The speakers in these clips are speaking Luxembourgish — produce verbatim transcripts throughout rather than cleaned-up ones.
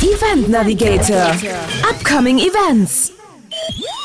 Event Navigator, Upcoming Events.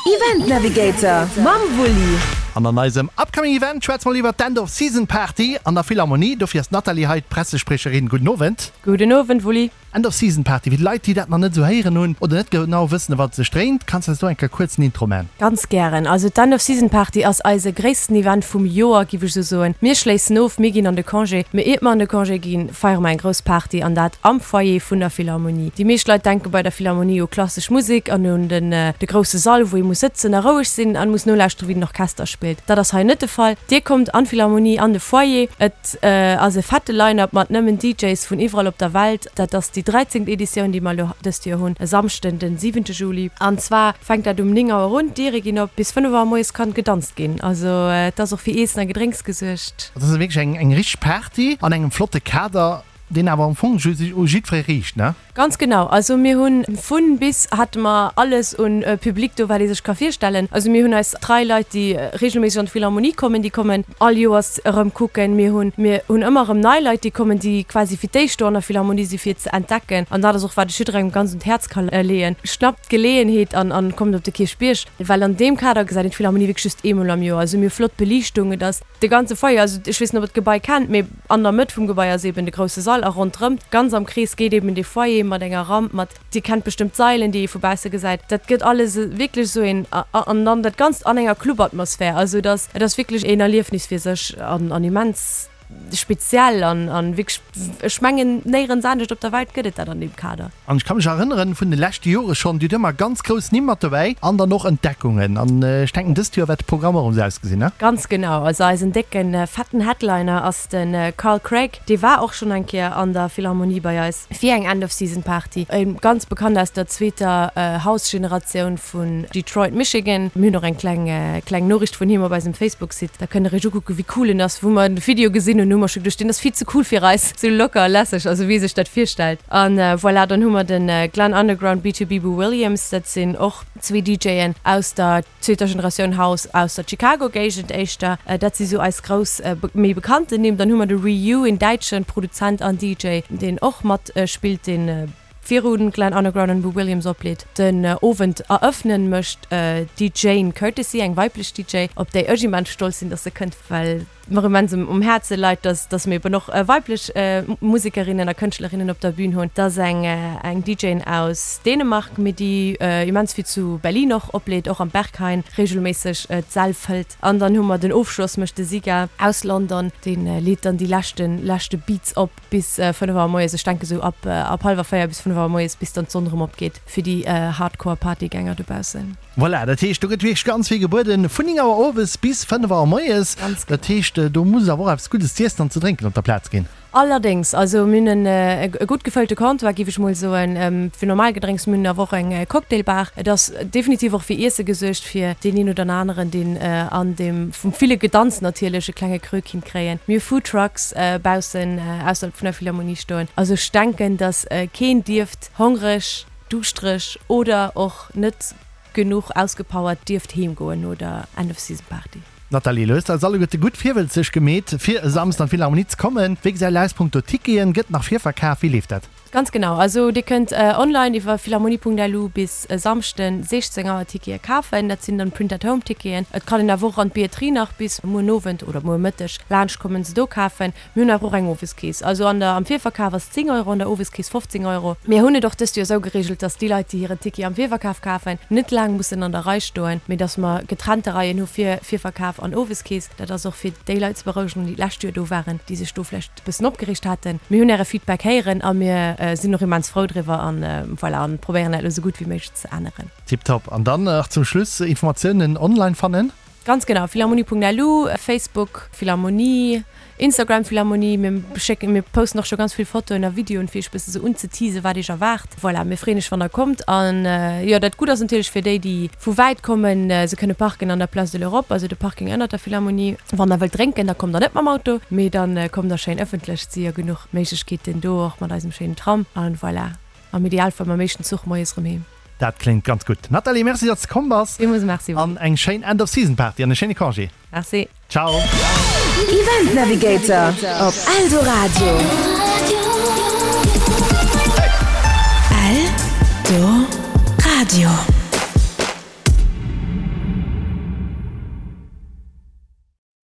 Event Navigator mam Wulli. An an eisem Upcoming Event schwätze mer iwwer d'End of Season Party an der Philharmonie. Dofir ass d'Nathalie hei, d'Pressespriecherin. Gudden Owend. Gudden Owend, Wulli. End of Season Party, fir d'Leit, déi dat nach net esou héieren hunn oder net genau wëssen, ëm wat et sech dréint, kanns de eis do eng Kéier kuerz en Intro man? Ganz gären. Also d'End of Season Party ass eise gréissten Event vum Joer, giff ech esou soen. Mir schléissen of, mir ginn an de Congé. Mee iert mer an de Congé ginn, feiere mer eng grouss Party an dat am Foyer vun der Philharmonie. Déi meescht Leit denke bei der Philharmonie u klassesch Musek an un den de grousse Sall, wou ee muss sëtzen a roueg sinn an muss nolauschteren, wéi den Orchester spillt. Dat ass hei net de Fall. Dir kommt an d'Philharmonie an de Foyer. Et ass e fette Line-Up mat nëmmen DJs vun iwwerall op der Welt. Dat ass déi dräizéngt Editioun, déi mer elo dëst Joer hunn, e Samschden, den siwente Juli. An zwar fänkt dat um néng Auer un, d'Diere ginn op, bis fënnef Auer moies kann gedanzt ginn. Also et ass och fir Iessen a Gedrénks gesuergt. Dat ass wierklech eng eng richteg Party an engem flotte Kader, deen awer am Fong sech u jiddweree riicht, ne? Ganz genau. Also mir hunn vun bis hate mer alles un Public do, wat ee sech ka virstellen. Also mir hunn eis trei Leit, déi regelméisseg an d'Philharmonie kommen, déi kommen all Joers erëm kucken. Mir hunn, mir hunn ëmmer erëm nei Leit, déi kommen, déi quasi fir d'éischt do an der Philharmonie si fir et ze entdecken. An dat ass och wat ech jidderengem ganz un d'Häerz ka leeën, Schnappt d'Geleeënheet an an kommt op de Kierchbierg, well an deem Kader gesäit een d'Philharmonie wierklech just eemol am Joer. Also mir hu flott Beliichtung, et ass de ganze Foyer, also ech weess net ob der d'Gebai kennt, mee an der Mëtt vum Gebai ass eben de grousse Sall a ronderëm, ganz am Krees geet eben dee Foyer mat enger Ramp, mat, Dir kennt bestëmmt d'Sailen, déi ee vu bausse gesäit. Dat gëtt alles wierklech esou een, an dann dat Ganzt an enger Clubatmosphär. Also et ass, et ass wierklech een Erliefnis fir sech an, an immens speziell an, an wierklech, ech mengen, néierens anescht op der Welt gëtt et dat an deem Kader. An ech ka mech erënneren, vun de leschte Jore schonn, Dir hutt ëmmer ganz grouss Nimm mat dobäi an dann och Entdeckungen. An ech denken, dëst Joer wäert de Programm och erëm esou ausgesinn, ne? Ganz genau. Also eisen décken, fetten Headliner ass de Carl Craig. Dee war och schonn eng Kéier an der Philharmonie bei eis fir eng End-of-Season-Party. Ganz bekannt aus der zweeter House-Generatioun vun Detroit, Michigan. Mir hunn och eng kleng, kleng Noriicht vun him op eisem Facebook-Site. Da kënnt der iech ukucken, wéi cool en ass. Wou mer de Video gesinn hunn, hu mer scho geduecht, deen ass vill ze cool fir eis. Sou locker a lässeg, also wéi ee sech dat virstellt. An voilà, dann hu mer de Glenn Underground, B two B Boo Williams, dat sinn och zwee DJen aus der zweeter Generatioun House aus der Chicago-Géigend éischter. Dat si sou eis grouss, méi bekannten Nimm. Dann hu mer de Ryu, een däitsche Produzent an D J, deen och mat spillt, dee viru Glenn Underground an Boo Williams opleet. Den Owend erëffnen mécht d'Djane Courtesy, eng weiblech D J, op déi ech immens stolz sinn, dass se kënnt, well mer immens um Häerze leit, dass dass mir eben och weiblech Musekerinnen a Kënschtlerinnen op der Bün hunn. Dat ass eng eng D J aus Dänemark, mee déi immens vill zu Berlin och opleet, och am Berghain reegelméisseg d'Säll fëllt. An dann hu mer den Ofschloss mécht de Siga aus London, dee leet dann déi leschte leschte Beats op bis fënnef Auer moies, ech denke sou ab ab hallwer véier bis fënnef Auer moies, bis dann d'Sonn erëm opgeet fir déi Hardcore Partygänger dobaussen. Voilà, dat heescht, do gëtt wierklech ganz vill gebueden, vun néng Auer owes bis fënnef Auer moies. Ganz genau. Dat heescht, do muss awer och eppes Guddes z'iessen an ze drénken op der Plaz ginn. Allerdéngs, also mir hunn e gutt gefëllte Comptoir, géif ech mol soen, fir normal Gedrénks. Mir hunn awer och eng Cocktailbar. Et ass definitiv och fir Iesse gesuergt, fir deen een oder aneren, deen an deem vum ville Gedanz natierlech e klenge Krö kinnt kréien. Mir hu Foodtrucks baussen ausserhalb vun der Philharmonie stoen. Also ech denken, datt keen dierft hongreg, duuschtereg oder och net genuch ausgepowert dierft heem goen no der End-of-Season-Party. Nathalie, lo hues de eis alleguerte gutt virwëlzeg gemeet, fir e Samsden an d'Philharmonie ze kommen. Wéi gesäit et aus punkto Ticketen? Gëtt nach virverkaf? Wéi leeft dat? Ganz genau, also dir kënnt online iwwer philharmonie Punkt L U bis e Samschden siechzéng Auer Tickete kafen. Dat sinn dann Print-at-Home-Ticketen. Et kann een awer och an d'Billetterie nach bis muer Owend oder muer Mëtteg laanscht kommen, se do kafen. Mir hunn awer och eng Oweskeess. Also an der am Virverkaf ass zéng Euro, an der Oweskeess fofzéng Euro. Mir hunn et och dëst Joer esou gereegelt, dass déi Leit, déi hiren Ticket am Virverkaf kafen, net laang mussen an der Rei stoen, mee dass mer getrennte Reien hu fir Virverkaf an Oweskeess. Dat ass och fir déi Leit ze berouegen, déi d'lescht Joer do waren, déi sech do vläicht e bëssen opgereegt haten. Mir hunn Äre Feedback héieren a mir sinn och immens frou driwwer an voilà, an probéieren dat elo esou gutt wéi méiglech ze änneren. Tiptop. An dann nach zum Schluss, Informatiounen online fannen? Ganz genau, philharmonie Punkt L U, Facebook Philharmonie, Instagram Philharmonie. Mir schécken, mir posten och scho ganz vill Fotoen a Videoen, fir iech bësse sou unzeteasen, wat iech erwaart. Voilà, mir freeën iech, wann der kommt. An jo, dat Gutt ass natierlech fir déi, déi vu wäit kommen, se kënne parken an der Place de l'Europe, also de Parking ënnert der Philharmonie. Wann der wëllt drénken, da kommt der net mam Auto, mee da kommt der schéin ëffentlech. Et si jo genuch Méiglechkeeten do, och mat eisem schéinen Tram. An voilà, am Idealfall mam éischten Zuch moies erëm heem. Dat kléngt ganz gutt. Nathalie, merci, datt s de komm bass. Villmools merci. An eng schéin End of Season Party an e schéine Congé. Merci. Ciao. Event Navigator op Eldoradio. L Eldoradio.